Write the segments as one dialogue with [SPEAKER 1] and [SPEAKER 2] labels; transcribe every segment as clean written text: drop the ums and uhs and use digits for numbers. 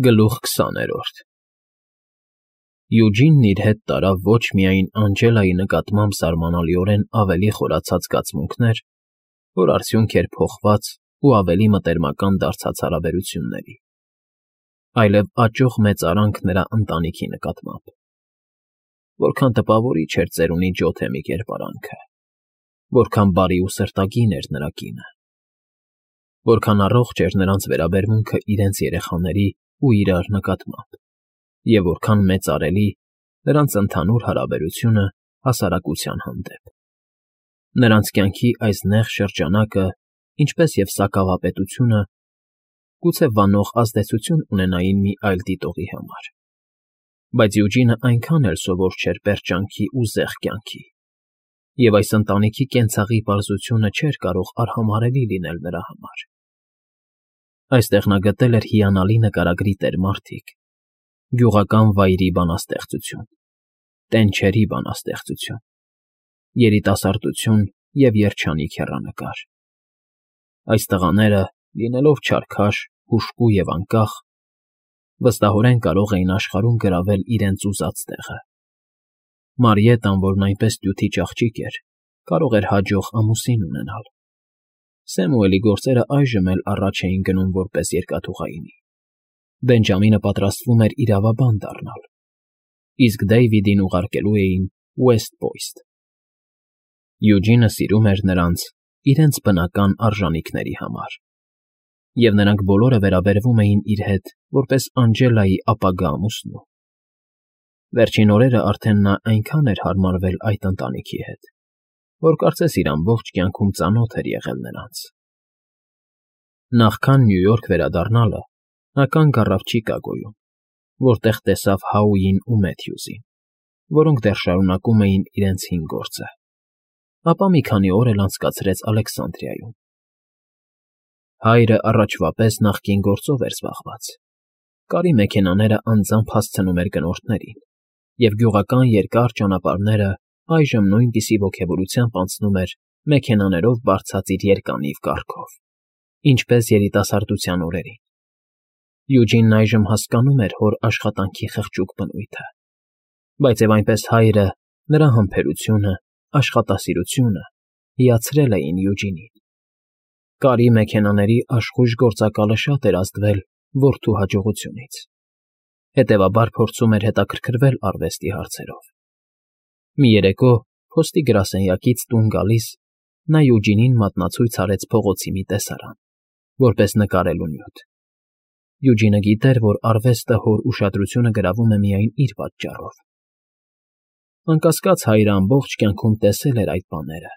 [SPEAKER 1] Գլուխ 20 Յուջինն իր հետ տարավ ոչ միայն Անջելայի նկատմամբ զարմանալիորեն ավելի խորացած զգացմունքներ, որ արդյունք էր փոխված ու ավելի մտերմական դարձած հարաբերությունների, այլև աճող մեծարանք նրա ընտանիքի նկատմամբ. որքան տպավորիչ էր ծերունի Ջոթեմի կերպարանքը, որքան բարի ու սրտագին էր նրա կինը, որքան առողջ էր նրանց վերաբերմունքը իրենց երեխաների ու իրար նկատմամբ, և որքան մեծարելի նրանց ընդհանուր հարաբերությունը հասարակության հանդեպ. նրանց կյանքի այս նեղ շրջանակը, ինչպես և սակավապետությունը, գուցե վանող ազդեցություն ունենային մի այլ դիտողի համար, բայց Յուջինը այնքան էլ սովոր չէր պերճանքի ու զեղ կյանքի, և այս ընտանիքի կենցաղի պարզությունը չէր կարող արհամարհելի լինել նրա համար. այստեղ նա գտել էր հիանալի նկարագրի տեր֊մարդիկ, գյուղական վայրի բանաստեղծություն, տենչերի բանաստեղծություն, երիտասարդություն և երջանիկ հեռանկար. այս տղաները, լինելով չարքաշ, հուժկու և անկախ, վստահորեն կարող էին աշխարհում գրավել իրենց ուզած տեղը. Մարիետան, որն այնպես տյութի աղջիկ էր, կարող էր հաջող ամուսին ունենալ. Սեմուելի գործերը այժմ էլ առաջ էին գնում որպես երկաթուղայինի. Բենջամինը պատրաստվում էր իրավաբան դառնալ, իսկ Դեյվիդին ուղարկելու էին Ուեսթ Պոյնթ. Յուջինը սիրում էր նրանց իրենց բնական արժանինքների համար, և նրանք բոլորը վերաբերվում էին իր հետ որպես Անջելայի ապագա ամուսնու. վերջին օրերը արդեն նա այնքան էր հարմարվել այդ ընտանիքի հետ, որ կարծես իր ամբողջ կյանքում ծանոթ էր եղել նրանց. Նախքան Նյու Յորք վերադառնալը նա կանգ առավ Չիկագոյում, որտեղ տեսավ Հաուին ու Մեթյուզին, որոնք դեռ շարունակում էին իրենց հին գործը, ապա մի քանի օր էլ անցկացրեց Ալեքսանդրիայում. հայրը առաջվա պես նախկին գործով էր զբաղված, կարի մեքենաները անձամբ հասցնում էր գնորդներին, և գյուղական երկար ճանապարհները այժմ նույնպիսի ոգևորությամբ անցնում էր մեքենաներով բարձած իր երկանիվ կառքով, ինչպես երիտասարդության օրերին. Յուջինն այժմ հասկանում էր հոր աշխատանքի խղճուկ բնույթը, բայց և այնպես հայրը, նրա համբերությունը, աշխատասիրությունը հիացրել էին Յուջինին. կարի մեքենաների աշխույժ գործակալը շատ էր ազդվել որդու հաջողությունից, հետևաբար փորձում էր հետաքրքրվել արվեստի հարցերով. Մի երեկո, փոստի գրասենյակից տուն գալիս, նա Յուջինին մատնացույց արեց փողոցի մի տեսարան, որպես նկարելու նյութ. Յուջինը գիտեր, որ արվեստը հոր ուշադրությունը գրավում է միայն իր պատճառով. անկասկած հայրը ամբողջ կյանքում տեսել էր այդ բաները,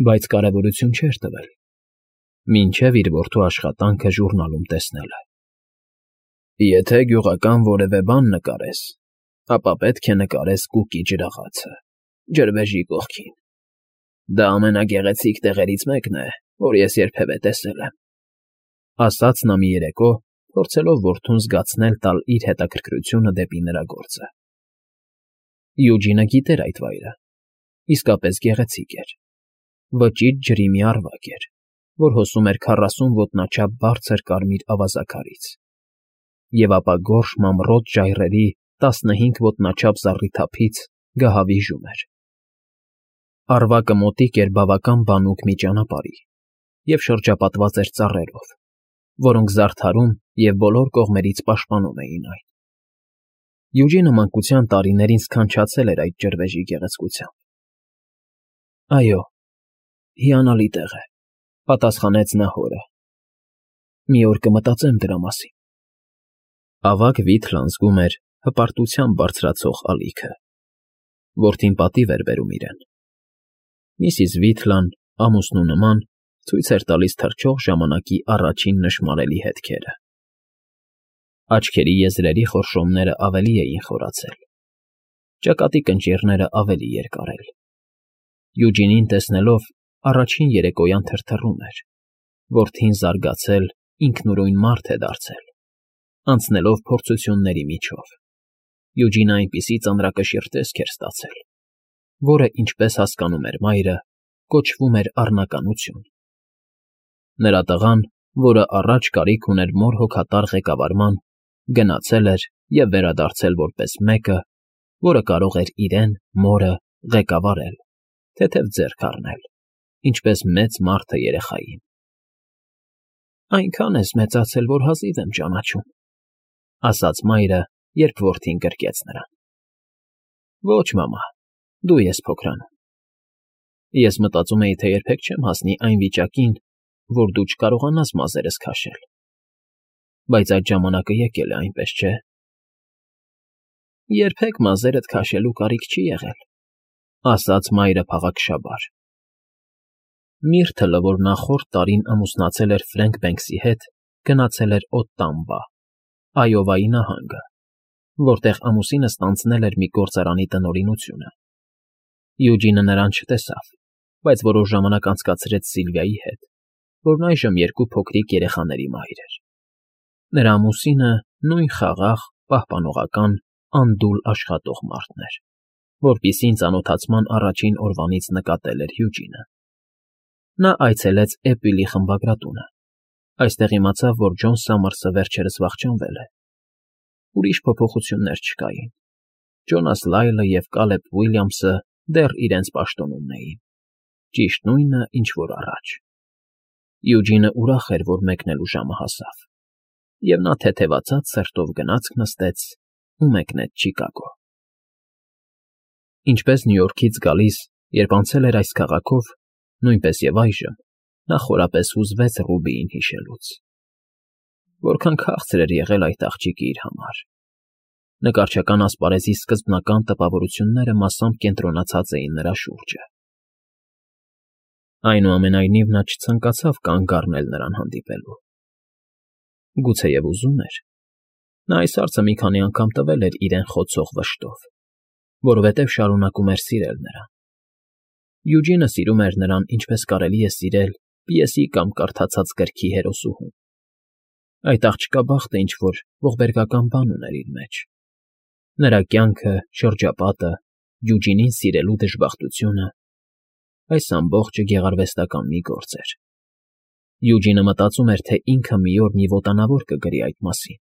[SPEAKER 1] բայց կարևորություն չէր տվել, մինչև իր որդու աշխատանքը ժուրնալում տեսնելը. Եթե գյուղական որևէ բան նկարես, ապա պետք է նկարես Կուկի ջրաղացը, ջրվեժի կողքին. դա ամենագեղեցիկ տեղերից մեկն է, որ ես երբևէ տեսել եմ, ասաց նա մի երեկո, փորձելով որդուն զգացնել տալ իր հետաքրքրությունը դեպի նրա գործը. Յուջինը գիտեր այդ վայրը, իսկապես գեղեցիկ էր, վճիտ ջրի մի առվակ էր, որ հոսում էր 40 ոտնաչափ բարձր կարմիր ավազաքարից, և ապա գորշ մանրոտ ժայռերի 15 ոտնաչափ զառիթափից գահավիժում էր. Առվակը մոտիկ էր բավական բանուկ մի ճանապարհի և շրջապատված էր ծառերով, որոնք զարդարում և բոլոր կողմերից պաշտպանում էին այն. Յուջինը մանկության տարիներին սքանչացել էր այդ ջրվեժի գեղեցկությամբ. այո, հիանալի տեղ է, պատասխանեց նա հորը. մի օր կմտածեմ դրա մասին. ավագ Վիթլան զգում էր հպարտությամբ բարձրացող ալիքը. որդին պատիվ էր բերում իրեն. Միսիս Վիթլան, ամուսնու նման, ցույց էր տալիս թռչող ժամանակի առաջին նշմարելի հետքերը. աչքերի եզրերի խորշոմները ավելի էին խորացել, ճակատի կնճիռները ավելի երկարել. Յուջինին տեսնելով առաջին երեկոյան թրթռում էր, որդին զարգացել, ինքնուրույն մարդ է դարձել, անցնելով փորձությունների միջով. Յուջինը այնպիսի ծանրակշիռ տեսք էր ստացել, որը, ինչպես հասկանում էր մայրը, կոչվում էր առնականություն. նրա տղան, որը առաջ կարիք ուներ մոր հոգատար ղեկավարման, գնացել էր և վերադարձել որպես մեկը, որը կարող էր իրեն, մորը, ղեկավարել, թեթև ձեռք առնել, ինչպես մեծ մարդը երեխային։ «Այնքան ես մեծացել, որ հազիվ եմ ճանաչում», ասաց մայրը, երբ որդին գրկեց նրան։ «Ոչ, մամա, դու ես փոքրանում։ Ես մտածում էի, թե երբեք չեմ հասնի այն վիճակին, որ դու չկարողանաս մազերս քաշել։ Բայց այդ ժամանակը եկել է, այնպես չէ՞։ Երբեք մազերդ քաշելու կարիք չի եղել», ասաց մայրը փաղաքշաբար։ Միրթլը, որ նախորդ տարին ամուսնացել էր Ֆրենկ Բենքսի հետ, գնացել էր Օտտամբա, Այովայի նահանգը, որտեղ ամուսինը ստանձնել էր մի գործարանի տնօրինությունը։ Յուջինը նրան չտեսավ, բայց որոշ ժամանակ անցկացրեց Սիլվիայի հետ, որն այժմ երկու փոքրիկ երեխաների մայր էր։ Նրա ամուսինը նույն խաղաղ, պահպանողական, անդուլ աշխատող մարդն էր, որպիսին ծանոթացման առաջին օրվանից նկատել էր Յուջինը։ Նա այցելեց Էպիլի խմբագրատունը, այստեղ իմացավ, որ Ջոն Սամարսը վերջերս վախճանվել է։ Ուրիշ փոփոխություններ չկային։ Ջոնաս Լայլը և Կալեբ Ուիլյամսը դեռ իրենց պաշտոնում էին, ճիշտ նույնը, ինչ որ առաջ։ Յուջինը ուրախ էր, որ մեկնելու ժամը հասավ, և նա թեթևացած սրտով գնացք նստեց ու մեկնեց Չիկագո։ Ինչպես Նյու Յորքից գալիս, երբ անցել էր այս քաղաքով, նույնպես և այժմ, նա խորապես հուզվեց Ռուբիին հիշելուց։ Որքան քաղցր էր եղել այդ աղջիկը իր համար։ Նկարչական ասպարեզի սկզբնական տպավորությունները մասամբ կենտրոնացած էին նրա շուրջը։ Այնուամենայնիվ նա չցանկացավ կանգ առնել նրան հանդիպելու։ Գուցեև ուզում էր։ Նա այս հարցը մի քանի անգամ տվել էր իրեն խոցող վշտով, որովհետև շարունակում էր սիրել նրան։ Յուջինը սիրում էր նրան, ինչպես կարելի է սիրել պիեսի կամ կարդացած գրքի հերոսուհուն։ Այդ աղջկա բախտը ինչ-որ ողբերգական բան ուներ իր մեջ։ Նրա կյանքը, շրջապատը, Յուջինին սիրելու դժբախտությունը, այս ամբողջը գեղարվեստական մի գործ էր։ Յուջինը մտածում էր, թե ինքը մի օր մի ոտանավոր կգրի այդ մասին։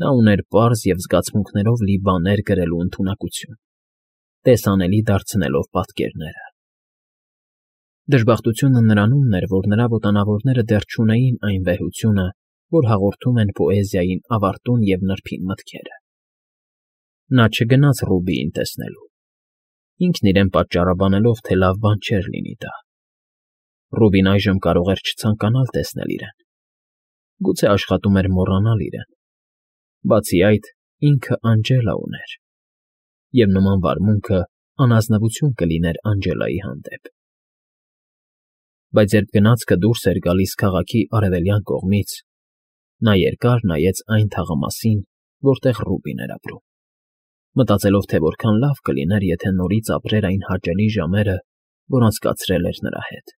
[SPEAKER 1] Նա ուներ պարզ և զգացմունքներով լի բաներ գրելու ընդունակություն, տեսանելի դարձնելով պատկերները։ Դժբախտությունը նրանումն էր, որ նրա ոտանավորները դեռ չունեին այն վեհությունը, որ հաղորդում են պոեզիային ավարտուն և նրբին մտքերը։ Նա չգնաց Ռուբիին տեսնելու, ինքն իրեն պատճառաբանելով, թե լավ բան չէր լինի դա։ Ռուբին այժմ կարող էր չցանկանալ տեսնել իրեն։ Գուցե աշխատում էր մոռանալ իրեն։ Բացի այդ, ինքը Անջելա ուներ, և նման վարմունքը անազնվություն կլիներ Անջելայի հանդեպ։ Բայց երբ գնացքը դուրս էր գալիս քաղաքի արևելյան կողմից, նա երկար նայեց այն թաղամասին, որտեղ Ռուբին էր ապրում, մտածելով, թե որքան լավ կլիներ, եթե նորից ապրեր այն հաճելի ժամերը, որ անցկացրել էր նրա հետ։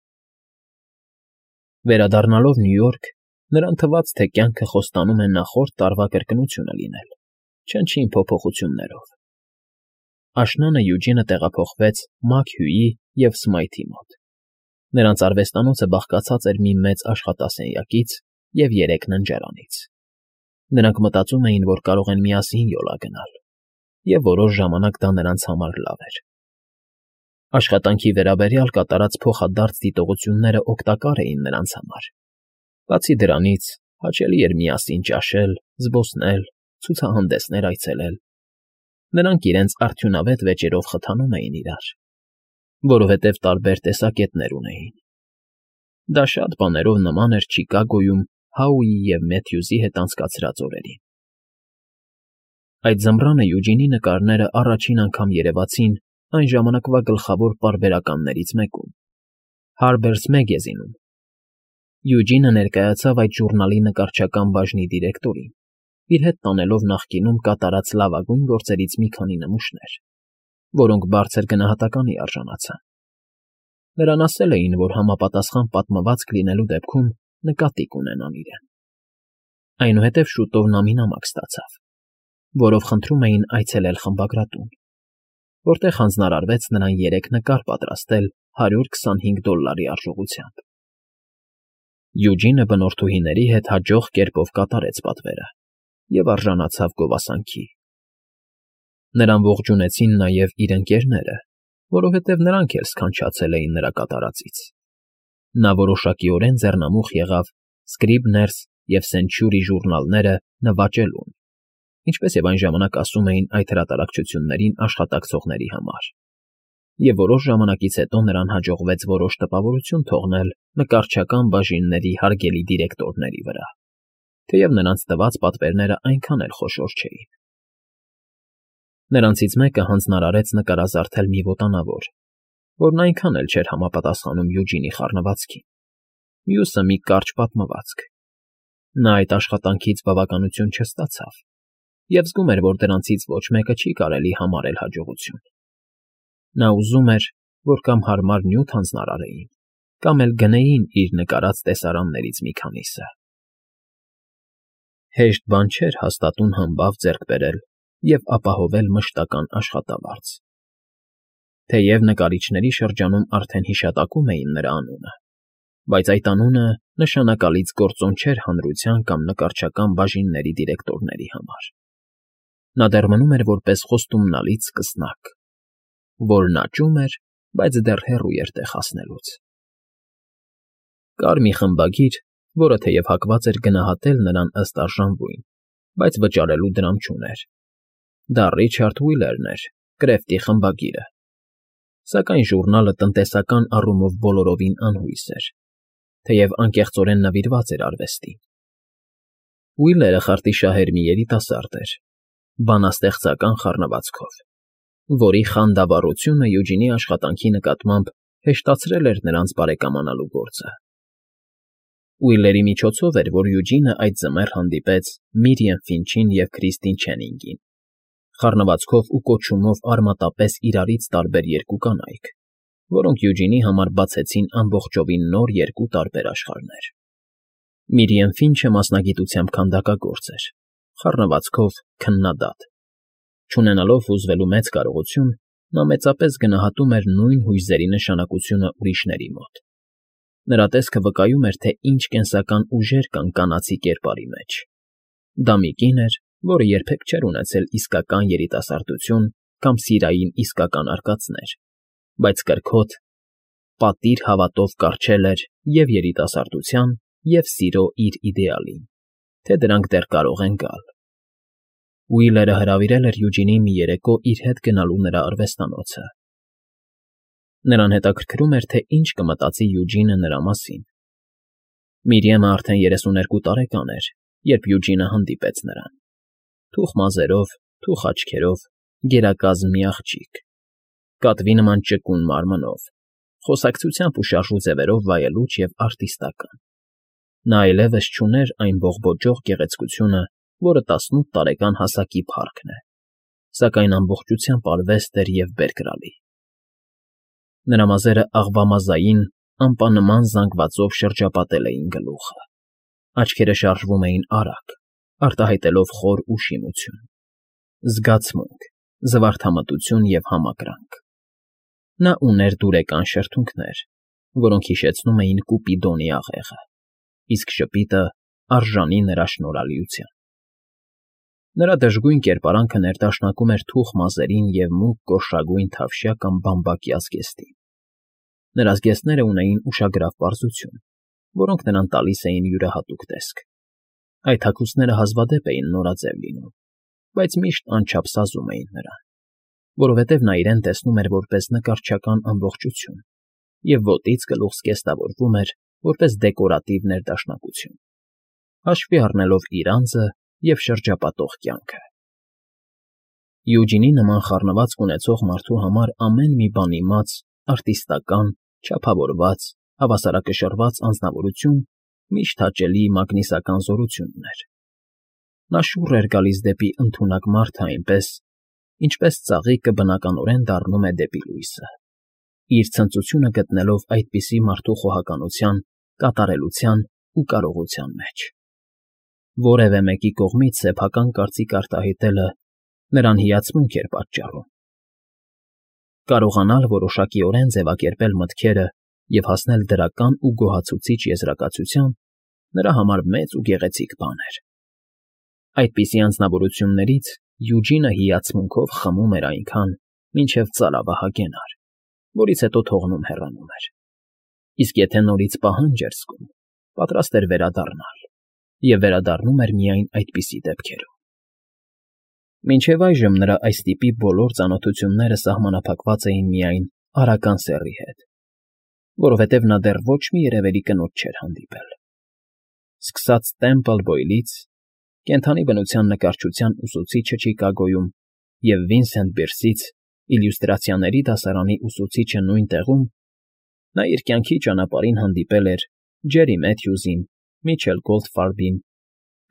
[SPEAKER 1] Վերադառնալով Նյու Յորք, նրան թվաց, թե կյանքը խոստանում է նախորդ տարվա կրկնությունը լինել, չնչին փոփոխություններով։ Աշնանը Յուջինը տեղափոխվեց Մաքհյուի և Սմայթի մոտ։ Նրանց արվեստանոցը բաղկացած էր մի մեծ աշխատասենյակից և 3 ննջարանից։ Նրանք մտածում էին, որ կարող են միասին յոլա գնալ, և որոշ ժամանակ դա նրանց համար լավ էր։ Աշխատանքի վերաբերյալ կատարած փոխադարձ դիտողությունները օգտակար էին նրանց համար։ Բացի դրանից, հաճելի էր միասին ճաշել, զբոսնել, ցուցահանդեսներ այցելել։ Նրանք իրենց արդյունավետ վեճերով խթանում էին իրար, որովհետև տարբեր տեսակետներ ունեին։ Դա շատ բաներով նման էր Չիկագոյում Հաուի և Մեթյուզի հետ անցկացրած օրերին։ Այդ ձմռանը Յուջինի նկարները առաջին անգամ երևացին այն ժամանակվա գլխավոր պարբերականներից մեկում՝ Harper's Magazine-ում։ Յուջինը ներկայացավ այդ ժուրնալի նկարչական բաժնի դիրեկտորին, իր հետ տանելով նախկինում կատարած լավագույն գործերից մի քանի նմուշներ, որոնք բարձր գնահատականի արժանացան։ Նրան ասել էին, որ համապատասխան պատմվածք լինելու դեպքում նկատի կունենան իրեն։ Այնուհետև շուտով նա մի նամակ ստացավ, որով խնդրում էին այցելել խմբագրատուն, որտեղ հանձնարարվեց նրան 3 նկար պատրաստել $125 արժողությամբ։ Յուջինը բնորդուհիների հետ հաջող կերպով կատարեց պատվերը, և արժանացավ գովասանքի։ Նրան ողջունեցին նաև իր ընկերները, որովհետև նրանք էլ սքանչացել էին նրա կատարածից։ Նա որոշակիորեն ձեռնամուխ եղավ Scribner-ս և Century ժուրնալները նվաճելուն, ինչպես և այն ժամանակ ասում էին այդ հրատարակչություններին աշխատակցողների համար, և որոշ ժամանակից հետո նրան հաջողվեց որոշ տպավորություն թողնել նկարչական բաժինների հարգելի դիրեկտորների վրա, թեև նրանց տված պատվերները այնքան էլ խոշոր չէին։ Նրանցից մեկը հանձնարարեց նկարազարդել մի ոտանավոր, որն այնքան էլ չէր համապատասխանում Յուջինի խառնվածքին, մյուսը մի կարճ պատմվածք։ Նա այդ աշխատանքից բավականություն չստացավ և զգում էր, որ դրանցից ոչ մեկը չի կարելի համարել հաջողություն։ Նա ուզում էր, որ կամ հարմար նյութ հանձնարարեին, կամ էլ գնեին իր նկարած տեսարաններից մի քանիսը։ Հեշտ բան չէր հաստատուն համբավ ձեռք բերել և ապահովել մշտական աշխատավարձ։ Թեև նկարիչների շրջանում արդեն հիշատակում էին նրա անունը, բայց այդ անունը նշանակալից գործոն չէր հանրության կամ նկարչական բաժինների դիրեկտորների համար։ Նա դեռ մնում էր որպես խոստումնալից սկսնակ, որն աճում էր, բայց դեռ հեռու էր տեղ հասնելուց։ Կար մի խմբագիր, որը թեև հակված էր գնահատել նրան ըստ արժանվույն, բայց վճարելու դրամ չուներ։ Դա Ռիչարդ Ուիլերն էր, Կրեֆտի խմբագիրը։ Սակայն ժուրնալը տնտեսական առումով բոլորովին անհույս էր, թեև անկեղծորեն նվիրված էր արվեստին։ Ուիլերը խարտիշահեր մի երիտասարդ էր, բանաստեղծական խառնվածքով, որի խանդավառությունը Յուջինի աշխատանքի նկատմամբ հեշտացրել էր նրանց բարեկամանալու գործը։ Ուիլերի միջոցով էր, որ Յուջինը այդ ձմեռ հանդիպեց Միրիամ Ֆինչին և Քրիստին Չենինգին, խառնվածքով ու կոչումով արմատապես իրարից տարբեր երկու կանայք, որոնք Յուջինի համար բացեցին ամբողջովին նոր երկու տարբեր աշխարհներ։ Միրիամ Ֆինչը մասնագիտությամբ քանդակագործ էր, խառնվածքով քննադատ։ Չունենալով հուզվելու մեծ կարողություն, նա մեծապես գնահատում էր նույն հույզերի նշանակությունը ուրիշների մոտ։ Նրա տեսքը վկայում էր, թե ինչ կենսական ուժեր կան կանացի կերպարի մեջ։ Դա մի կին էր, որը երբեք չէր ունեցել իսկական երիտասարդություն կամ սիրային իսկական արկածներ, բայց կրքոտ, պատիր հավատով կառչել էր և երիտասարդության, և սիրո իր իդեալին, թե դրանք դեռ կարող են գալ։ Ուիլերը հրավիրել էր Յուջինին մի երեկո իր հետ գնալու նրա արվեստանոցը։ Նրան հետաքրքրում էր, թե ինչ կմտածի Յուջինը նրա մասին։ Միրիամը արդեն 32 տարեկան էր, երբ Յուջինը հանդիպեց նրան։ Թուխ մազերով, թուխ աչքերով, գերակազմ մի աղջիկ, կատվի նման ճկուն մարմնով, խոսակցությամբ ու շարժու ձևերով վայելուչ և արտիստական։ Նա այլևս չուներ այն բողբոջող գեղեցկությունը, որը 18 տարեկան հասակի փառքն է, սակայն ամբողջությամբ արվեստ էր և բերկրալի։ Նրա մազերը աղվամազային, ամպանման զանգվածով շրջապատել էին գլուխը, աչքերը շարժվում էին արագ, արտահայտելով խոր ուշիմություն, զգացմունք, զվարթամտություն և համակրանք։ Նա ուներ դուրեկան շրթունքներ, որոնք հիշեցնում էին Կուպիդոնի աղեղը, իսկ ժպիտը արժանի նրա շնորհալիության։ Նրա դժգույն կերպարանքը ներդաշնակում էր թուխ մազերին և մուգ գորշագույն թավշյա կամ բամբակյա զգեստին։ Նրա զգեստները ունեին ուշագրավ պարզություն, որոնք նրան տալիս էին յուրահատուկ տեսք։ Այդ հագուստները հազվադեպ էին նորաձև լինում, բայց միշտ անչափ սազում էին նրան, որովհետև նա իրեն տեսնում էր որպես նկարչական ամբողջություն և ոտից գլուխ զգեստավորվում էր որպես դեկորատիվ ներդաշնակություն, հաշվի առնելով իր անձը և շրջապատող կյանքը։ Յուջինի նման խառնվածք ունեցող մարդու համար ամեն մի բան իմաց, արտիստական, չափավորված, հավասարակշռված անձնավորություն միշտ հաճելի մագնիսական զորություն ուներ։ Նա շուռ էր գալիս դեպի ընդունակ մարդը այնպես, ինչպես ծաղիկը բնականորեն դառնում է դեպի լույսը, իր ցնծությունը գտնելով այդպիսի մարդու խոհականության, կատարելության ու կարողության մեջ։ Որևէ մեկի կողմից սեփական կարծիք արտահայտելը նրան հիացմունք էր պատճառում։ Կարողանալ որոշակիորեն ձևակերպել մտքերը և հասնել դրական ու գոհացուցիչ եզրակացության նրա համար մեծ ու գեղեցիկ բան էր։ Այդպիսի անձնավորություններից Յուջինը հիացմունքով խմում էր այնքան, մինչև ծարավը հագենար, որից հետո թողնում հեռանում էր, իսկ եթե նորից պահանջ էր զգում, պատրաստ էր վերադառնալ, և վերադառնում էր միայն այդպիսի դեպքերում։ Մինչև այժմ նրա այս տիպի բոլոր ծանոթությունները սահմանափակված էին միայն Արական սեռի հետ, որովհետև նա դեռ ոչ մի երևելի կնոջ չէր հանդիպել։ Սկսած Տեմպլ Բոյլից, կենդանի բնության նկարչության ուսուցիչը Չիկագոյում և Վինսենտ Բիրսից իլյուստրացիաների դասարանի ուսուցիչը նույն տեղում, նա իր կյանքի ճանապարհին հանդիպել էր Ջերի Մեթյուզին, Միչել Գոլդֆարբին,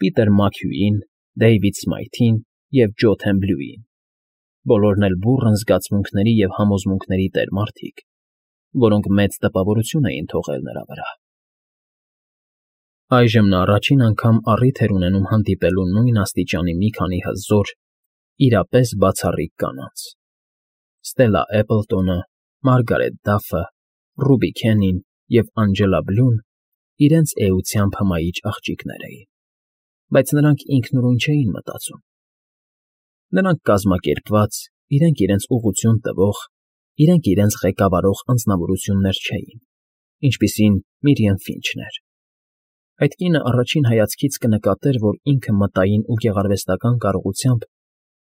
[SPEAKER 1] Պիտեր Մաքհյուին, Դեյվիդ Սմայթին և Ջո Թեմբլյուին, բոլորն էլ բուռն զգացմունքների և համոզմունքների տեր մարդիկ, որոնք մեծ տպավորություն էին թողել նրա վրա։ Այժմ նա առաջին անգամ առիթ էր ունենում հանդիպելու նույն աստիճանի մի քանի հզոր, իրապես բացառիկ կանանց. Ստելլա Էպլտոնը, Մարգարետ Դաֆը, Ռուբի Քենին և Անջելա Բլուն իրենց էությամբ հմայիչ աղջիկներ էին, բայց նրանք ինքնուրույն չէին մտածում։ Նրանք կազմակերպված, իրենք իրենց ուղղություն տվող, իրենք իրենց ղեկավարող անձնավորություններ չէին, ինչպիսին Միրիամ Ֆինչն էր։ Այդ կինը առաջին հայացքից կնկատեր, որ ինքը մտային ու գեղարվեստական կարողությամբ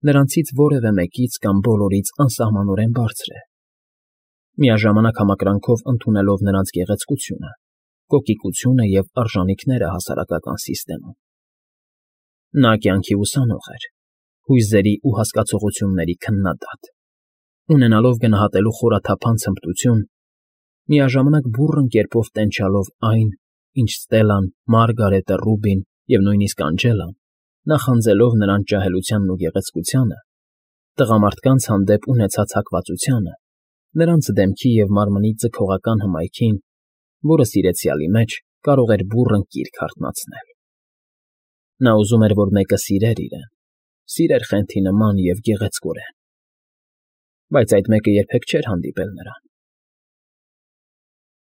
[SPEAKER 1] նրանցից որևէ մեկից կամ բոլորից անսահմանորեն բարձր է, միաժամանակ համակրանքով ընդունելով նրանց գեղեցկությունը, կոկիկությունը և արժանիքները հասարակական սիստեմում։ Նա կյանքի ուսանող էր, հույզերի ու հասկացողությունների քննադատ, ունենալով գնահատելու խորաթափանց հմտություն, միաժամանակ բուռն կերպով տենչալով այն, ինչ Ստելլան, Մարգարետը, Ռուբին և նույնիսկ Անջելան, նախանձելով նրանց ջահելությանն ու գեղեցկությանը, տղամարդկանց հանդեպ ունեցած հակվածությանը, նրանց դեմքի և մարմնի ձգողական հմայքին, որը սիրեցյալի մեջ կարող էր բուռն կիրք հարթնացնել։ Նա ուզում էր, որ մեկը սիրեր իրեն, սիրեր խենթի նման և գեղեցկորեն, բայց այդ մեկը երբեք չէր հանդիպել նրան։